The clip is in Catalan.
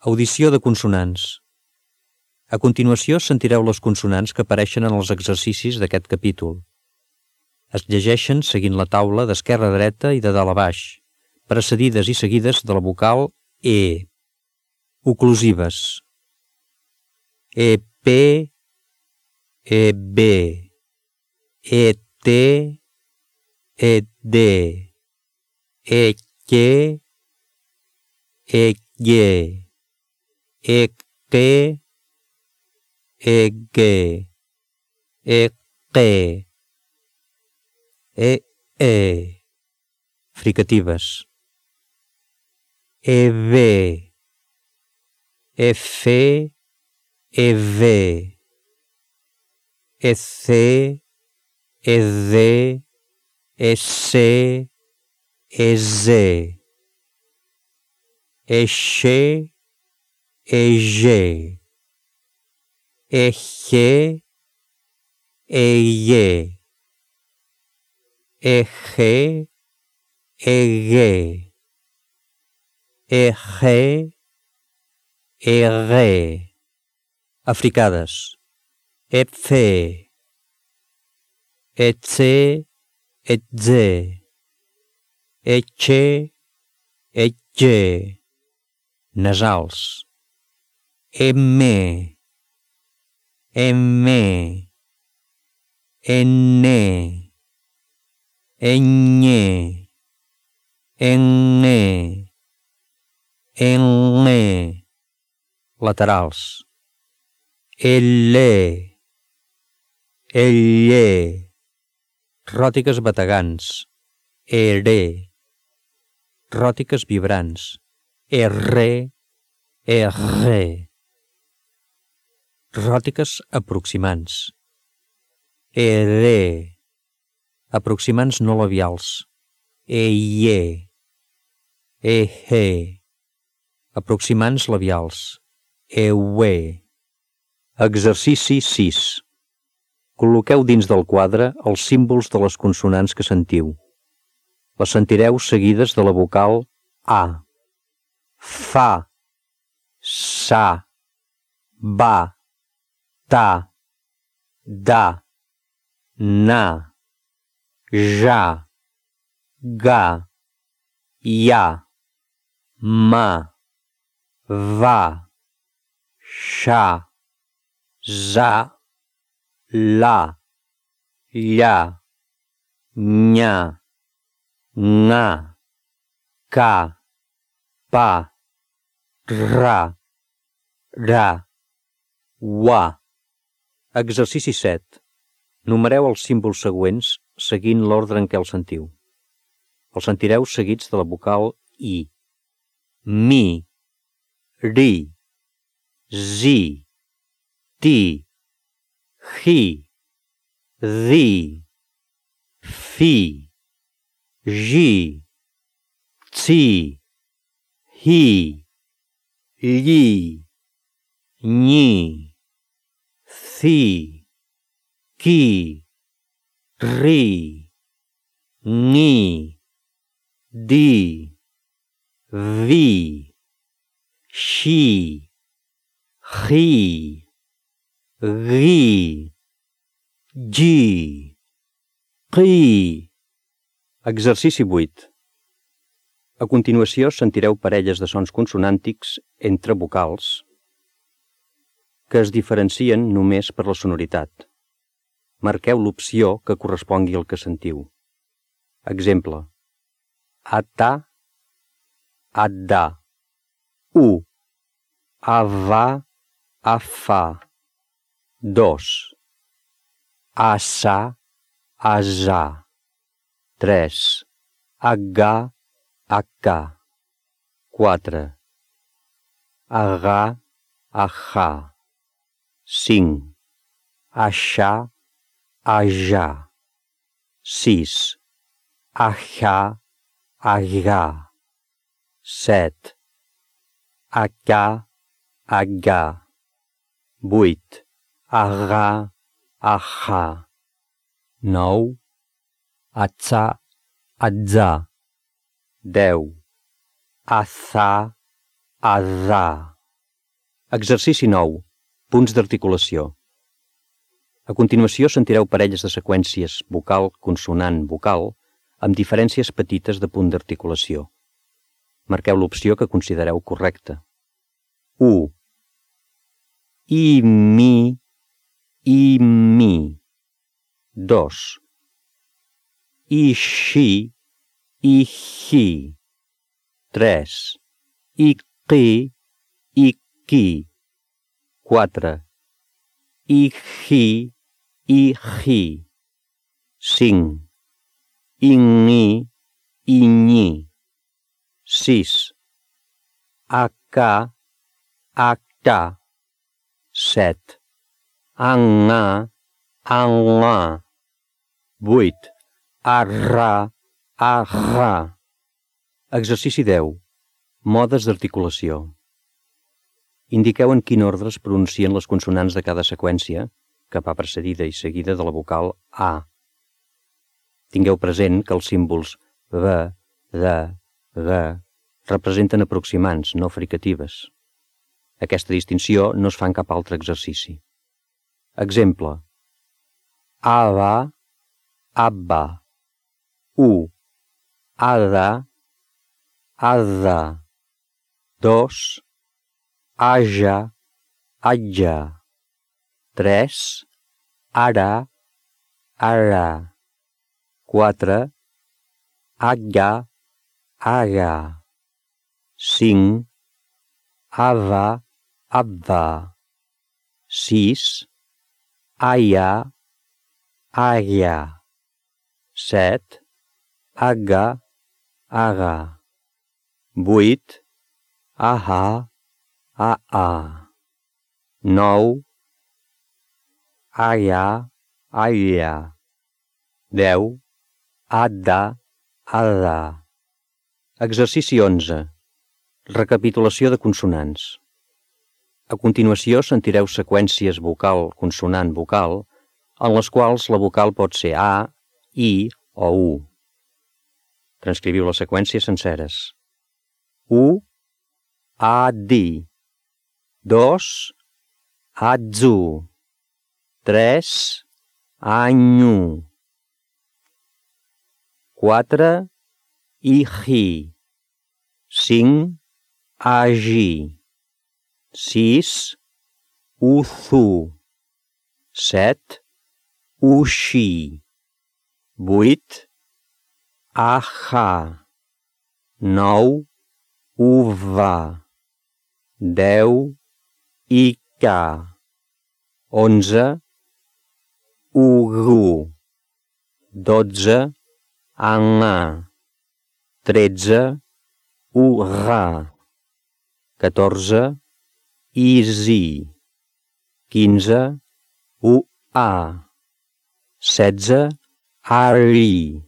Audició de consonants. A continuació sentireu les consonants que apareixen en els exercicis d'aquest capítol. Es llegeixen seguint la taula d'esquerra a dreta i de dalt a baix, precedides i seguides de la vocal E. Oclusives. EP, EB, ET, ED, EQ, EQ, EQ, EQ, EQ, EE. Fricatives. EV, EF, EV, EC, ED, EC, EZ, EX, EG, EG, EY, EG, EG, EG, EG. Africades. EPFE, ETSE, ETZE, ETXE, ETXE. Nasals. EME, EME, ENE, ENYE, ENNE, ENNE. Laterals. ELLE, ELLE. Ròtiques bategants. ERE. Ròtiques vibrants. ERRE, ERRE. Ròtiques aproximants. ERE. Aproximants no labials. EIE, EHE. Aproximants labials. EUE. Exercici 6. Col·loqueu dins del quadre els símbols de les consonants que sentiu. Les sentireu seguides de la vocal A. Fa, sa, ba, ta, da, na, ja, ga, ya, ma, va, xa, za, la, lla, nya, nga, ca, pa, ra, ra, wa. Exercici 7. Numereu els símbols següents seguint l'ordre en què els sentiu. Els sentireu seguits de la vocal I. Mi, ri, zi, ti, hi, di, fi, ji, tsi, hi, lli, nyi, thi, ki, ri, ni, di, vi, xi, hi, ghi, gi, qi. Exercici 8. A continuació sentireu parelles de sons consonàntics entre vocals que es diferencien només per la sonoritat. Marqueu l'opció que correspongui al que sentiu. Exemple. Ata, adda. U. Ava, afa. 2. Asa, asa. 3. Aga, akka. 4. Aga, aha. 5. Aixà, ajà. 6. Ajà, agà. 7. Acà, agà. 8. Agà, ahà. 9. Atzà, atzà. 10. Atzà, azà. Exercici 9. Punts d'articulació. A continuació sentireu parelles de seqüències vocal-consonant-vocal amb diferències petites de punt d'articulació. Marqueu l'opció que considereu correcta. 1. I-mi, i-mi. 2. I-xi, i-xi. 3. I-qi, i-qui. 4. I-xi, i-xi. 5. I-ngi, i-nyi. 6. A-ca, a-ca. 7. A-nga, a-nga. 8. A-ra, a-ra. Exercici 10. Modes d'articulació. Indiqueu en quin ordre es pronuncien les consonants de cada seqüència, que va precedida i seguida de la vocal A. Tingueu present que els símbols V, D, G representen aproximants, no fricatives. Aquesta distinció no es fa en cap altre exercici. Exemple: Ava, abba. U, ada, adda. 2, aja, atja. 3, ara, ara. 4, aga, aga. 5, ava, abva. 6, aia, aia. 7, aga, aga. 8, aha, aa. 9, aya, aya. 10, adda, ada. Exercici 11. Recapitulació de consonants. A continuació sentireu seqüències vocal-consonant-vocal en les quals la vocal pot ser A, I o U. Transcriviu les seqüències senceres. U, a-di. 2, atzu. 3, anyu. 4, iji. 5, agi. 6, uthu. 7, uxi. 8, aha. 9, uva. 10, ika. 11, ugu. 12, anga. 13, urra. 14, izi. 15, ua. 16, ari.